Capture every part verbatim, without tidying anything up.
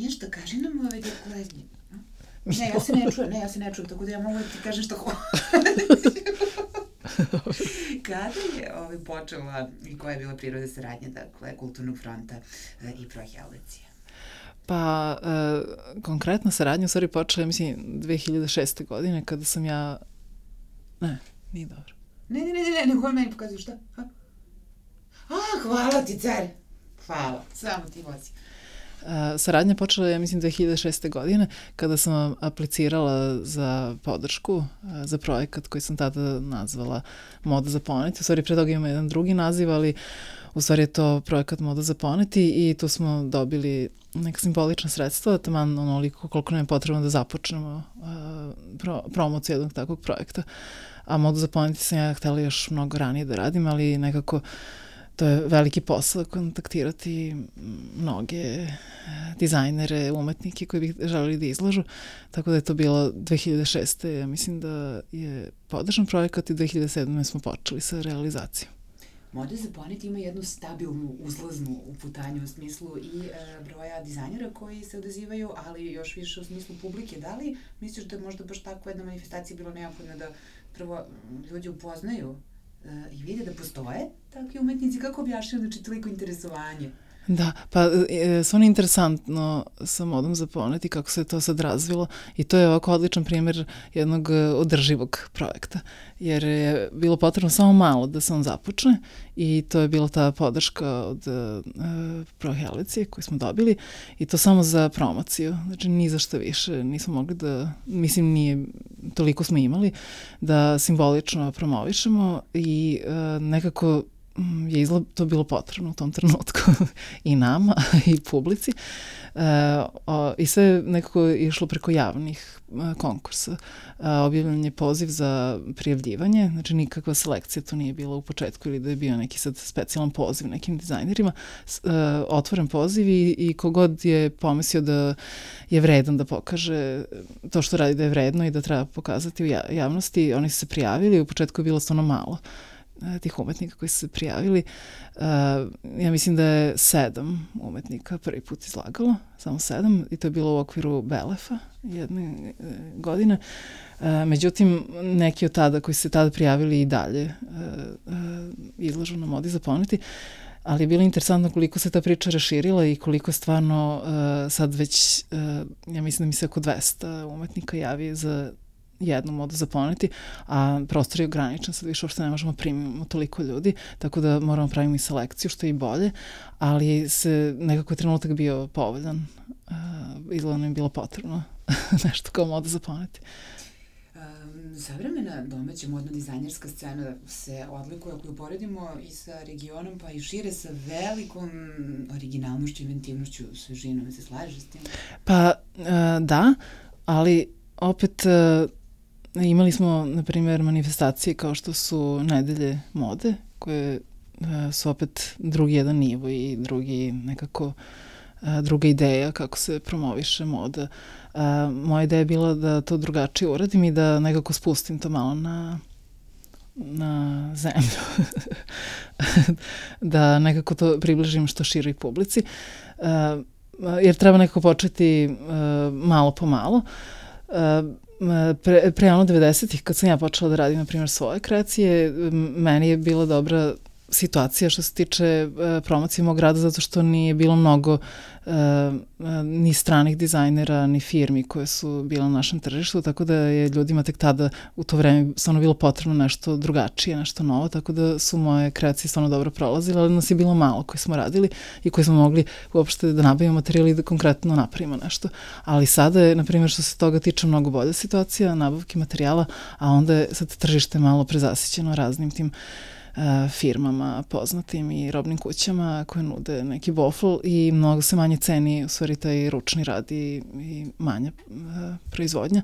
Ništa, kaži nam ove dekle. Ne, ja se ne čujem, ne, ja se ne čujem, tako da ja mogu da ti kažem što hvala. Kada je ovaj počela i koja je bila priroda saradnje, dakle, Kulturnog fronta i Prohelvecije? Pa, e, konkretna saradnja u stvari počela, mislim, dve hiljade šeste. godine, kada sam ja... Ne, nije dobro. Ne, ne, ne, ne, ne, nego meni pokazuju šta? Ha? A, hvala ti, car! Hvala, samo ti vozi. Uh, saradnja počela je, mislim, dve hiljade šeste. godine, kada sam aplicirala za podršku, uh, za projekat koji sam tada nazvala Moda za poneti. U stvari, pre toga ima jedan drugi naziv, ali u stvari je to projekat Moda za poneti i tu smo dobili neka simbolična sredstva, taman onoliko koliko nam je potrebno da započnemo uh, pro, promociju jednog takvog projekta. A Modu za poneti sam ja htela još mnogo ranije da radim, ali nekako to je veliki posao kontaktirati mnoge dizajnere, umetnike koji bi želeli da izlažu. Tako da je to bilo dve hiljade šeste. Ja mislim da je podržan projekat i dve hiljade sedme. smo počeli sa realizacijom. Moda za poneti ima jednu stabilnu, uzlaznu uputanju u smislu i e, broja dizajnera koji se odazivaju, ali još više u smislu publike. Da li misliš da je možda baš takva jedna manifestacija bilo neophodno da prvo ljudi upoznaju i vide da postoje takvi umetnici, kako objašnjaju znači toliko interesovanje? Da, pa e, stvarno interesantno sa Modom za poneti kako se to sad razvilo i to je ovako odličan primjer jednog održivog projekta, jer je bilo potrebno samo malo da se on započne i to je bila ta podrška od e, Prohelvecije koju smo dobili i to samo za promociju, znači ni za šta više nismo mogli da, mislim nije, toliko smo imali, da simbolično promovišemo i e, nekako je izgled to bilo potrebno u tom trenutku i nama i publici. E, o, I sve nekako je išlo preko javnih e, konkursa. E, objavljen je poziv za prijavljivanje, znači nikakva selekcija to nije bila u početku ili da je bio neki sad specijalan poziv nekim dizajnerima. E, otvoren poziv i, i kogod je pomislio da je vredan da pokaže to što radi da je vredno i da treba pokazati u javnosti, oni su se prijavili, u početku je bilo stvarno malo tih umetnika koji su se prijavili. Uh, ja mislim da je sedam umetnika prvi put izlagalo, samo sedam, i to je bilo u okviru Belefa jedne uh, godine. Uh, međutim, neki od tada koji su se tada prijavili i dalje uh, uh, izlažu na Modi za poneti, ali je bilo interesantno koliko se ta priča raširila i koliko stvarno uh, sad već, uh, ja mislim da mi se oko dvesta umetnika javi za jednu Modu za poneti, a prostor je ograničen, sad više uopšte ne možemo primiti toliko ljudi, tako da moramo praviti i selekciju, što je i bolje, ali se nekako je trenutak bio povoljan. Uh, izgleda nam je bilo potrebno nešto kao Moda za poneti. Um, savremena domaća modno-dizajnerska scena se odlikuje, ako ju poredimo i sa regionom, pa i šire sa velikom originalnošću, inventivnošću, svežinom. Se slažeš s tim? Pa uh, da, ali opet uh, imali smo, na primjer, manifestacije kao što su Nedelje mode, koje uh, su opet drugi jedan nivo i drugi nekako uh, druga ideja kako se promoviše moda. Uh, moja ideja je bila da to drugačije uradim i da nekako spustim to malo na na zemlju. Da nekako to približim što široj publici. Uh, jer treba nekako početi uh, malo po malo. Uh, pre, pre ono devedesetih kad sam ja počela da radim, na primjer, svoje kreacije, meni je bila dobra situacija što se tiče uh, promocije mog rada, zato što nije bilo mnogo uh, ni stranih dizajnera, ni firmi koje su bile na našem tržištu, tako da je ljudima tek tada u to vreme stvarno bilo potrebno nešto drugačije, nešto novo, tako da su moje kreacije stvarno dobro prolazile, ali nas je bilo malo koji smo radili i koji smo mogli uopšte da nabavimo materijal i da konkretno napravimo nešto. Ali sada je, na primjer, što se toga tiče, mnogo bolja situacija nabavke materijala, a onda je sad tržište malo prezasićeno raznim tim Uh, firmama poznatim i robnim kućama koje nude neki bofl i mnogo se manje ceni u stvari taj ručni rad i, i manja uh, proizvodnja.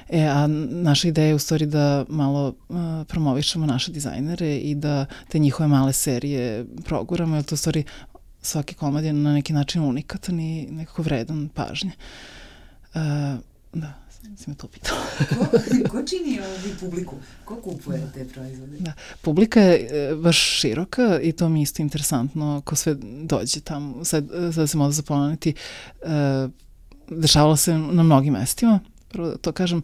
E, a naša ideja je u stvari da malo uh, promovišemo naše dizajnere i da te njihove male serije proguramo, jer to u stvari svaki komad je na neki način unikatan i nekako vredan pažnje. Uh, da. Si me to pitala. ko, ko čini ovu publiku? Ko kupuje te proizvode? Da. Publika je e, baš široka i to mi je isto interesantno ko sve dođe tamo. Sad, sad se Moda za poneti e, dešavalo se na mnogim mestima. Prvo da to kažem,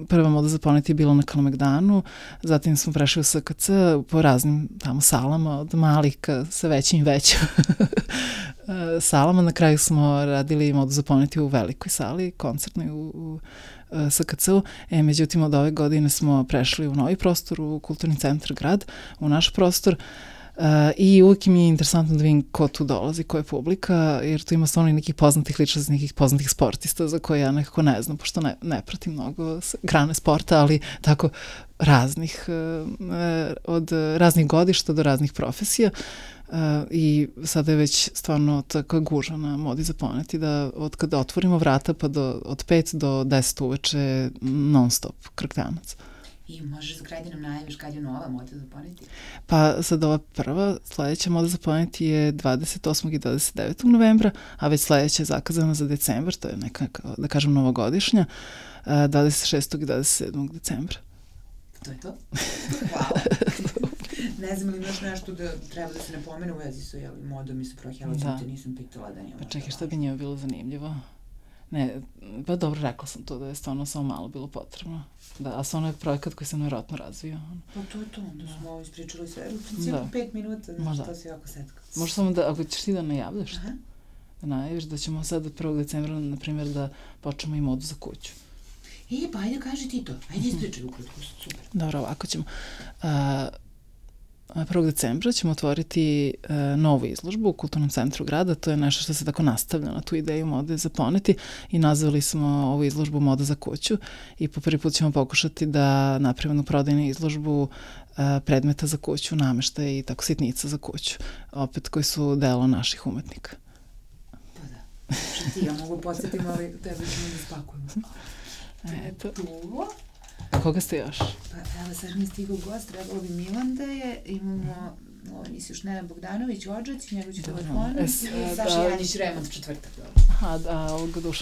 prva Moda za poneti je bila na Kalemegdanu, zatim smo prešli u S K C po raznim tamo salama, od malih ka sa većim i većim salama. Na kraju smo radili Modu za poneti u velikoj sali, koncertnoj u, u S K C-u. E, međutim, od ove godine smo prešli u novi prostor, u Kulturni centar grad, u naš prostor. Uh, i uvijek mi je interesantno da vidim ko tu dolazi, ko je publika, jer tu ima stvarno i nekih poznatih ličnosti, nekih poznatih sportista za koje ja nekako ne znam, pošto ne, ne pratim mnogo grane sporta, ali tako raznih, uh, od raznih godišta do raznih profesija. Uh, i sada je već stvarno tako gužva na Modi za poneti da od kada otvorimo vrata pa do, od pet do deset uveče non stop krktanac. I možeš za kraj da nam najaviš kad je nova Moda za poneti? Pa sad ova prva, sledeća Moda za poneti je dvadeset osmog i dvadeset devetog novembra, a već sledeća je zakazana za decembar, to je neka, da kažem, novogodišnja, dvadeset šestog i dvadeset sedmog decembra. To je to? Hvala. Ne znam li imaš nešto da treba da se ne pomene u vezi sa jel, modom i sa prohjelaćom, te nisam pitala da nije. Pa čekaj, šta bi njima bilo zanimljivo? Ne, pa dobro, rekla sam to da je stvarno samo malo bilo potrebno. Da, a stvarno je projekat koji se nevjerojatno razvio. Pa to je to, onda smo ovo ispričali sve. U principu da. pet minuta, znaš, to si jako setka. Možda samo da, ako ćeš ti da najavljaš, aha, da najaviš da ćemo sad prvog decembra, na primjer, da počnemo i Modu za kuću. E, pa ajde kaži ti to. Ajde ispričaj ukratko, super. Dobro, ovako ćemo. Uh, prvog decembra ćemo otvoriti uh, novu izložbu u Kulturnom centru grada. To je nešto što se tako nastavlja na tu ideju Mode za poneti i nazvali smo ovu izložbu Moda za kuću i po prvi put ćemo pokušati da napravimo jednu prodajnu izložbu uh, predmeta za kuću, nameštaja i tako sitnica za kuću, opet koji su delo naših umetnika. Pa da, što ti, ja mogu podsjetiti, ali tebe ćemo da spakujemo. Eto. A koga ste još? Pa evo, sad mi je stigao gost, trebalo bi Milan da je, imamo, ovo nisi još Nenad Bogdanović, Odžac, njegov će telefonom, i Saša Janjić, remont četvrtak. Aha, a ovog Dušana?